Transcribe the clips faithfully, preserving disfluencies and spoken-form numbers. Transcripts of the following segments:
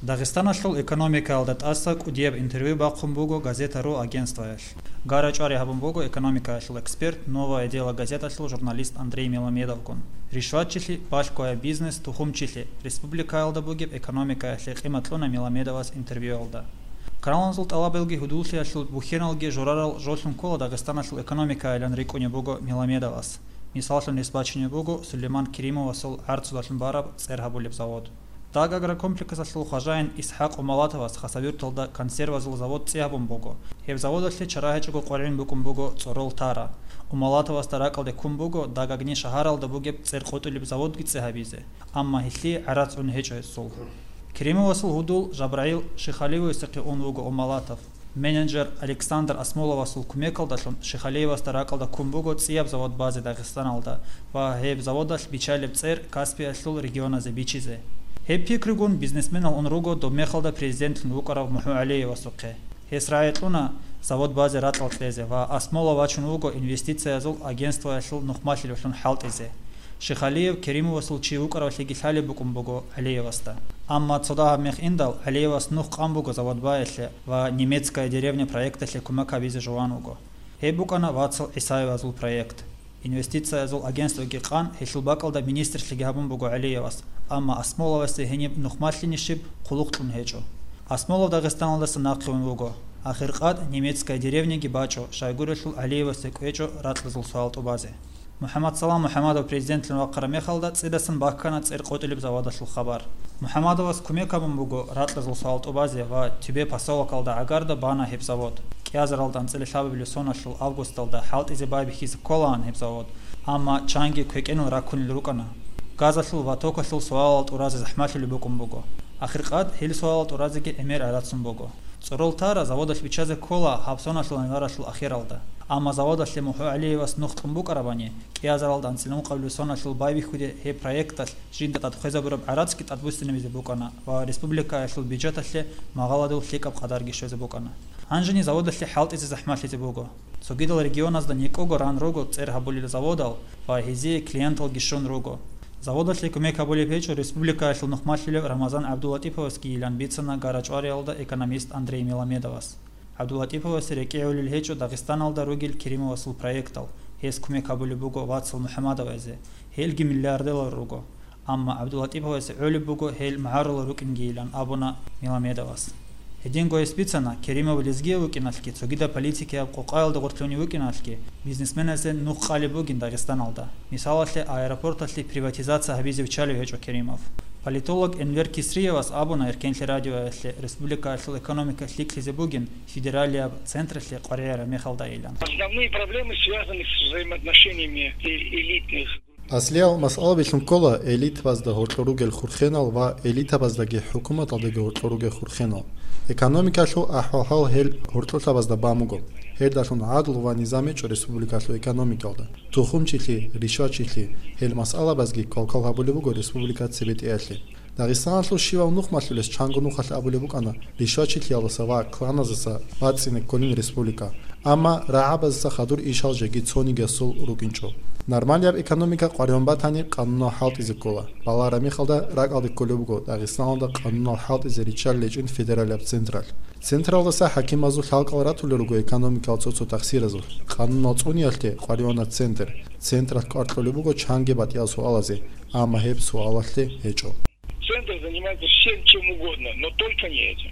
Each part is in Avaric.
Дагъистаналъул экономикаялда тӀаса кӀудияб интервью бахъун буго «Газета.ру» агентствоялъ. Гара-чӀвари гьабун буго экономикаялъул эксперт «Новое дело» газеталъул журналист Андрей Меламедовгун. Ришватчилъи, балъгояб бизнес, тухумчилъи, республикаялда бугеб экономикаялъе къимат кьуна Меламедовас интервьюялда. Каналазул тӀалабалги гьудуллъиялъул бухьеналги журарал жолъун ккола Дагъистаналъул экономикайилан рикӀкӀунеб буго Меламедовас. Мисаллъун гьес бачунеб буго Сулейман Керимовасул гӀарцудалъун бараб цӀер гьабулеб завод. «Даг» агрокомплексалъул хважаин ИсхӀакъ Умалатовас Хасавюрталда консервазул завод цӀи гьабун буго. Гьеб заводалъе чара гьечӀого къваригӀун букӀун буго цӀорол тара. Умалатовасда ракӀалде ккун буго «Дагагни» шагьаралда бугеб цӀер къотӀулеб заводги цӀи гьабизе, амма гьелъие гӀарац гӀун гьечӀо гьесул. Керимовасул гьудул ЖабрагӀил Шихалиевасухъе ун вуго Умалатов. Менеджер Александр Асмоловасул кумекалдалъун Шихалиевасда ракӀалда ккун буго цӀияб завод базе Дагъистаналда ва гьеб заводалъ биччалеб цӀер Каспиялъул регионазе бичизе. Гьеб пикругун бизнесменал ун руго доб мехалда президентлъун вукӀарав МухӀу ГӀалиевасухъе. Гьес рагӀи кьуна завод базе ракьал кьезе ва Асмолов вачун вуго инвестициязул агентствоялъул нухмалъилевлъун хӀалтӀизе. Шихалиев Керимовасул чи вукӀаравлъиги лъалеб букӀун буго ГӀалиевасда. Амма цо дагьаб мех индал, ГӀалиевас нух къан буго завод баялъе ва «Немецкая деревня» проекталъе кумек гьабизе жуван вуго. Гьеб букӀана вацал ГӀисаевазул проект. Инвестициязул агентствоги къан, гьелъул бакӀалда министрлъиги гьабун буго ГӀалиевас, амма Асмоловасде гьениб нухмалъинищиб хъулухъ кьун гьечӀо. Асмолов Дагъистаналдаса нахъе ун вуго. Ахиркъад «Немецкая деревняги» бачӀо, щайгурелъул ГӀалиевасде кӀвечӀо ракьазул суал тӀубазе. МухӀаммадсалам МухӀаммадов президентлъун вахъараб мехалда цӀидасан бахкана цӀер къотӀулеб заводалъул хабар. МухӀаммадовас кумек гьабун буго ракьазул суал тӀубазе ва Тюбе поселокалда гӀагарда бана гьеб завод. КӀиазаралда анцӀила лъабабилеб соналъул августалда хӀалтӀизе байбихьизе кколаан гьеб завод, амма чанги квекӀенал раккунел рукӀана. Газалъул ва токалъул суалал тӀуразе захӀмалъулеб букӀун буго. Ахиркъад гьел суалал тӀуразеги гӀемер гӀарацун буго. ЦӀорол тара заводалъ биччазе ккола гьаб соналъул январалъул ахиралда. Амма заводалъе МухӀу ГӀалиевас нух кьун букӀарабани, кӀиазаралда анцӀила ункъабилеб соналъул байбихьуде гьеб проекталъ жинда тӀад хвезабураб гӀарацги тӀадбуссинабизе букӀана ва республикаялъул бюджеталъе магъаладул лъикӀаб къадарги щвезе букӀана. Гьанжени заводалъе хӀалтӀизе захӀмалъизе буго. Цогидал регионазда никӀого ран руго цӀер гьабулел заводал ва гьезие клиенталги щун руго. Заводалъе кумек гьабулеб гьечӀо республикаялъул нухмалъулев Рамазан ГӀабдуллатӀиповасгийилан бицана гара-чӀвариялда экономист Андрей Меламедовас. ГӀабдуллатӀиповасе рекӀигӀулел гьечӀо Дагъистаналда ругел Керимовасул проектал, гьес кумек гьабулеб буго вацал МухӀаммадовазе, гьелги миллиардерал руго. Амма ГӀабдуллатӀиповасе гӀолеб буго гьел магӀарулал рукӀингийилан абуна Меламедовас. Гьединго гьес бицана, Керимов лезгияв вукӀиналъги, цогидаб политикияб къокъаялда гъорлъунев вукӀиналъги, бизнесменазе нух къалеб бугин Дагъистаналда. Мисалалъе, аэропорталъе приватизация гьабизе виччалев гьечӀо Керимов. Политолог Энвер Кисриевас абуна Эркенлъи радиоялъе республикаялъул экономика лъикӀлъизе бугин федералияб централъе къваригӀараб мехалдайилан. Основные проблемы связаны с взаимоотношениями э- элитных. Аслиял масъалабилъун ккола элитабазда гьоркьор ругел хурхенал ва элитабаздаги хӀукуматалдаги гьоркьор ругел хурхенал. Экономикалъул ахӀвал-хӀал гьел гьоркьорлъабазда бан буго. Гьелдалъун гӀадлу ва низам гьечӀо республикалъул экономикалда. Тухумчилъи, ришвачилъи, гьел масъалабазги квалквал гьабулеб буго республика цебетӀеялъе. Дагъистаналъул щивав нухмалъулес чанго нухалъ абулеб букӀана ришвачилъиялдаса ва кланазаса бацӀцӀине кколин республика. Амма рагӀабазаса хадур ишал жеги цонигиясул рукӀинчӀо. Нормалияб экономика къваригӀун батани, къанунал хӀалтӀизе ккола. Балагьараб мехалда ракӀалде кколеб буго Дагъистаналда къанунал хӀалтӀизе риччалил гьечӀин федералияб централъ. Централдаса хӀакимазул лъалкӀал ратулел руго экономикал цо-цо тахсиразул. Къанунал цӀуниялъе къваригӀуна центр. Централъ кӀвар кьолеб буго чанги батӀиял суалазе, амма гьеб суалалъе гьечӀо. Центр занимается всем чем угодно, но только не этим.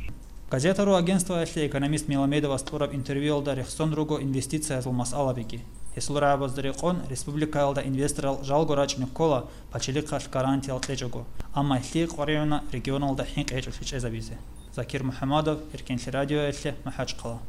Газета.ру агентствоялъе экономист Меламедовас кьураб интервьюялда рехсон руго инвестициязул масъалабиги. Гьесул рагӀабазда рекъон, республикаялда инвесторал жалго рачӀине ккола, пачалихъалъ гарантиял кьечӀого, амма гьелъие къваригӀуна регионалда хӀинкъи гьечӀолъи чӀезабизе. Закир МухӀаммадов, Эркенлъи радиоялъе, МахӀачхъала.